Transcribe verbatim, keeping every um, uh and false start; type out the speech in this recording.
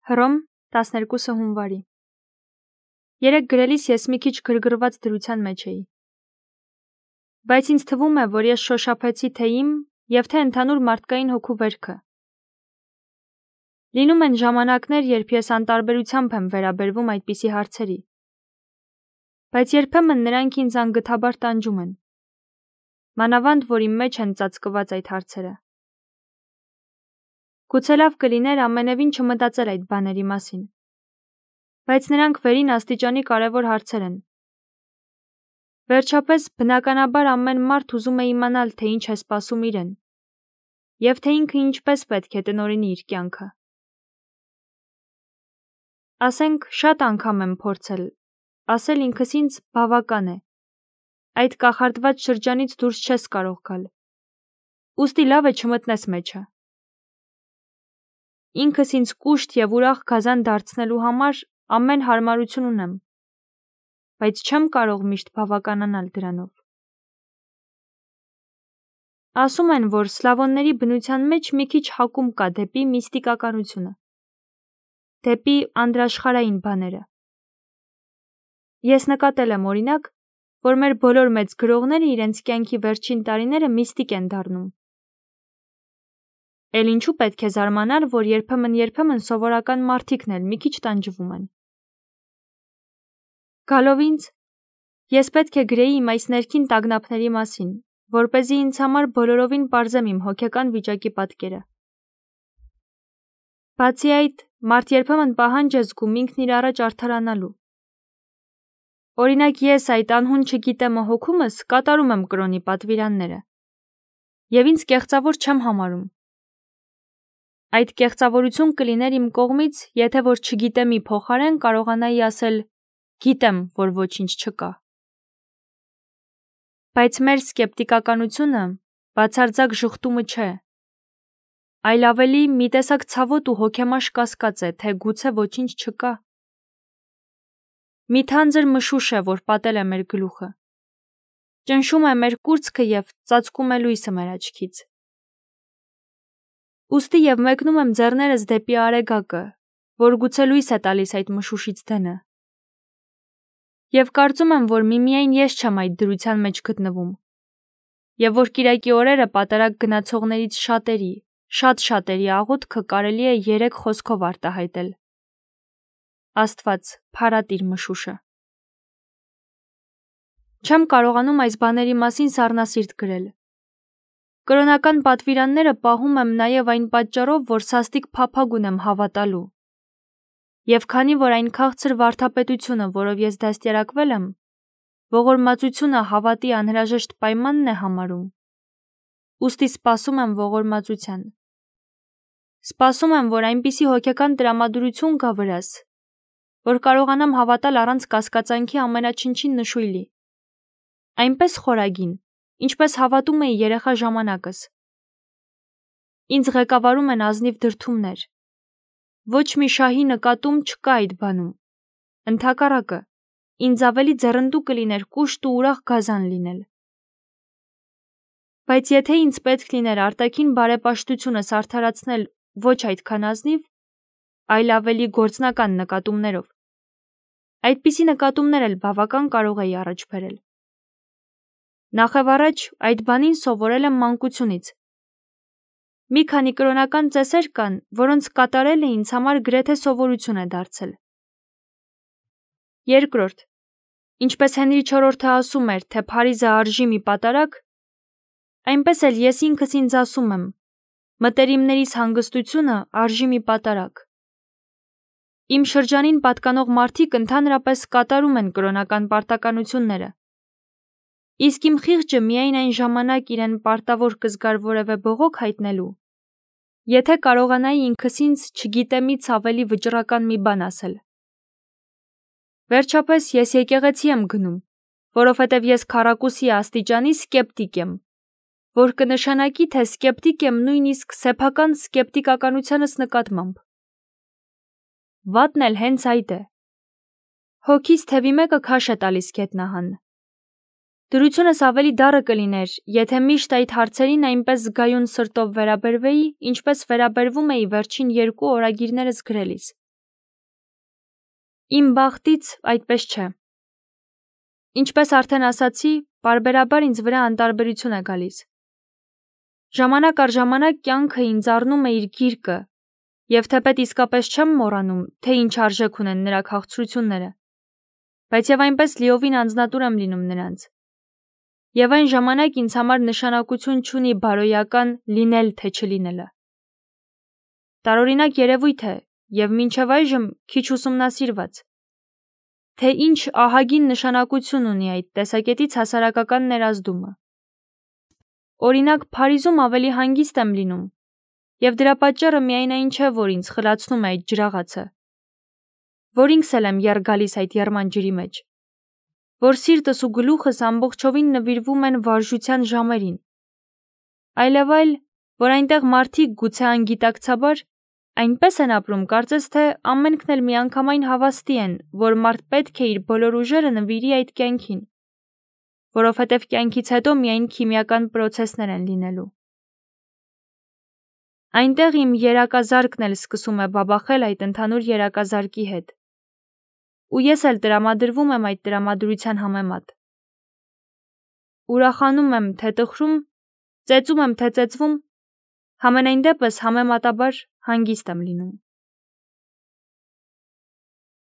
Հռոմ, տասներկուսը հունվարի։ Երեկ գրելիս ես մի քիչ գրգռված դրության մեջ էի։ Բայց ինձ թվում է, որ ես շոշափեցի թե իմ և թե ընդհանուր մարդկային հոգու վերքը։ Լինում են ժամանակներ, երբ ես անտարբերությամբ եմ վերաբերվում այդպիսի հարցերի։ Բայց երբեմն նրանք ինձ անգթաբար տանջում են։ Մանավանդ, որ իմ մեջ են ծածկված այդ հարցերը։ Գուցե լավ կլիներ ամենևին չմտածել այդ բաների մասին։ Բայց նրանք վերին աստիճանի կարևոր հարցեր են։ Վերջապես, բնականաբար ամեն մարդ ուզում է իմանալ, թե ինչ է սպասում իրեն, և թե ինքը ինչպես պետք է տնօրինի իր կյանքը։ Ասենք, շատ անգամ եմ փորձել, ասել ինքս ինձ բավական է, այդ կախարդված շրջանից դուրս չես կարող գալ, ուստի լավ է չմտնես մեջը։ Ինքս ինձ կուշտ և ուրախ գազան դարձնելու համար ամեն հարմարություն ունեմ, բայց չեմ կարող միշտ բավականանալ դրանով։ Ասում են, որ սլավոնների բնության մեջ մի քիչ հակում կա դեպի միստիկականությունը, դեպի անդրաշխարհային բաները։ Ես նկատել եմ, օրինակ, որ մեր բոլոր մեծ գրողները իրենց կյանքի վերջին տարիները միստիկ են դառնում։ Էլ ինչու պետք է զարմանալ, որ երբեմն-երբեմն սովորական մարդիկն էլ մի քիչ տանջվում են։ Գալով ինձ, ես պետք է գրեի իմ այս ներքին տագնապների մասին, որպեսզի ինձ համար բոլորովին պարզեմ իմ հոգեկան վիճակի պատկերը։ Բացի այդ, մարդ երբեմն պահանջ է զգում ինքն իր առաջ արդարանալու։ Օրինակ ես այդ անհուն չգիտեմը հոգումս կատարում եմ կրոնի պատվիրանները, և ինձ կեղծավոր չեմ համարում։ Այդ կեղծավորություն կլիներ իմ կողմից, եթե որ չգիտեմի փոխարեն կարողանայի ասել գիտեմ, որ ոչինչ չկա։ Բայց մեր սկեպտիկականությունը բացարձակ ժխտումը չէ, այլ ավելի մի տեսակ ցավոտ ու հոգեմաշ կասկած է, թե գուցե ոչինչ չկա։ Մի թանձր մշուշ է, որ պատել է մեր գլուխը, ճնշում է մեր կուրծքը և ծածկում է լույսը մեր աչքից։ Ուստի և մեկնում եմ ձեռներս դեպի արեգակը, որ գուցե լույս է տալիս այդ մշուշից դենը։ Եվ կարծում եմ, որ միմիայն ես չեմ այդ դրության մեջ գտնվում, և որ կիրակի օրերը պատարագ գնացողներից շատերի, շատ շատերի աղոթքը կարելի է երեք խոսքով արտահայտել. Աստված, փարատ իր մշուշը։ Չեմ կարողանում այս բաների մասին սառնասիրտ գրել։ Կրոնական պատվիրանները պահում եմ նաև այն պատճառով, որ սաստիկ փափագ ունեմ հավատալու։ Եվ քանի որ այն քաղցր վարդապետությունը, որով ես դաստիարակվել եմ, ողորմածությունը հավատի անհրաժեշտ պայմանն է համարում, ուստի սպասում եմ ողորմածության։ Սպասում եմ, որ այնպիսի հոգեկան տրամադրություն գա վրաս, որ կարողանամ հավատալ առանց կասկածանքի ամենաչնչին նշույլի, այնպես խորագին, ինչպես հավատում էի երեխա ժամանակս։ Ինձ ղեկավարում են ազնիվ դրդումներ։ Ոչ մի շահի նկատում չկա այդ բանում։ Ընդհակառակը, ինձ ավելի ձեռնդու կլիներ կուշտ ու ուրախ գազան լինել։ Բայց եթե ինձ պետք լիներ արտաքին բարեպաշտությունս արդարացնել ոչ այդքան ազնիվ, այլ ավելի գործնական նկատումներով, այդպիսի նկատումներ էլ բավական կարող էի առաջ բերել։ Նախևառաջ այդ բանին սովորել եմ մանկությունից։ Մի քանի կրոնական ծեսեր կան, որոնց կատարելը ինձ համար գրեթե սովորություն է դարձել։ Երկրորդ, ինչպես Հենրի չորրորդը ասում էր, թե Փարիզը արժի մի պատարագ, այնպես էլ ես ինքս ինձ ասում եմ, մտերիմներիս հանգստությունը արժի մի պատարագ։ Իմ շրջանին պատկանող մարդիկ ընդհանրապես կատարում են կրոնական պարտականությունները, իսկ իմ խիղճը միայն այն ժամանակ իրեն պարտավոր կզգար որևէ բողոք հայտնելու, եթե կարողանայի ինքս ինձ չգիտեմից ավելի վճռական մի բան ասել։ Վերջապես ես եկեղեցի եմ գնում, որովհետև ես քառակուսի աստիճանի սկեպտիկ եմ, որ կնշանակի, թե սկեպտիկ եմ նույնիսկ սեփական սկեպտիկականությանս նկատմամբ։ Վատն էլ հենց այդ է։ Հոգիս թևի մեկը քաշ է տալիս գետնահան։ Դրությունս ավելի դառը կլիներ, եթե միշտ այդ հարցերին այնպես զգայուն սրտով վերաբերվեի, ինչպես վերաբերվում էի վերջին երկու օրագիրներս գրելիս։ Իմ բախտից այդպես չէ։ Ինչպես արդեն ասացի, պարբերաբար ինձ վրա անտարբերություն է գալիս։ Ժամանակ առ ժամանակ կյանքը ինձ առնում է իր գիրկը, և թեպետ իսկապես չեմ մոռանում, թե ինչ արժեք ունեն նրա քաղցրությունները, բայց և այնպես լիովին անձնատուր եմ լինում նրանց։ Եվ այն ժամանակ ինձ համար նշանակություն չունի բարոյական լինել թե չլինելը։ Տարօրինակ երևույթ է և մինչև այժմ քիչ ուսումնասիրված, թե ինչ ահագին նշանակություն ունի այդ տեսակետից հասարակական ներազդումը։ Օրինակ, Փարիզում ավելի հանգիստ եմ լինում, և դրա պատճառը միայն այն չէ, որ ինձ խլացնում է այդ ջրաղացը, որ ինքս էլ եմ եռ գալիս այդ եռման ջրի մեջ, որ սիրտս ու գլուխս ամբողջովին նվիրվում են վարժության ժամերին, այլև այլ, որ այնտեղ մարդիկ գուցե անգիտակցաբար այնպես են ապրում, կարծես թե ամենքն էլ միանգամայն հավաստի են, որ մարդ պետք է իր բոլոր ուժերը նվիրի այդ կյանքին, որովհետև կյանքից հետո միայն քիմիական պրոցեսներ են լինելու։ Այնտեղ իմ երակազարկն էլ սկսում է բաբախել այդ ընդհանուր երակազարկի հետ, ու ես էլ տրամադրվում եմ այդ տրամադրության համեմատ։ Ուրախանում եմ, թե տխրում, ծեծում եմ, թե ծեծվում, համենայն դեպս համեմատաբար հանգիստ եմ լինում։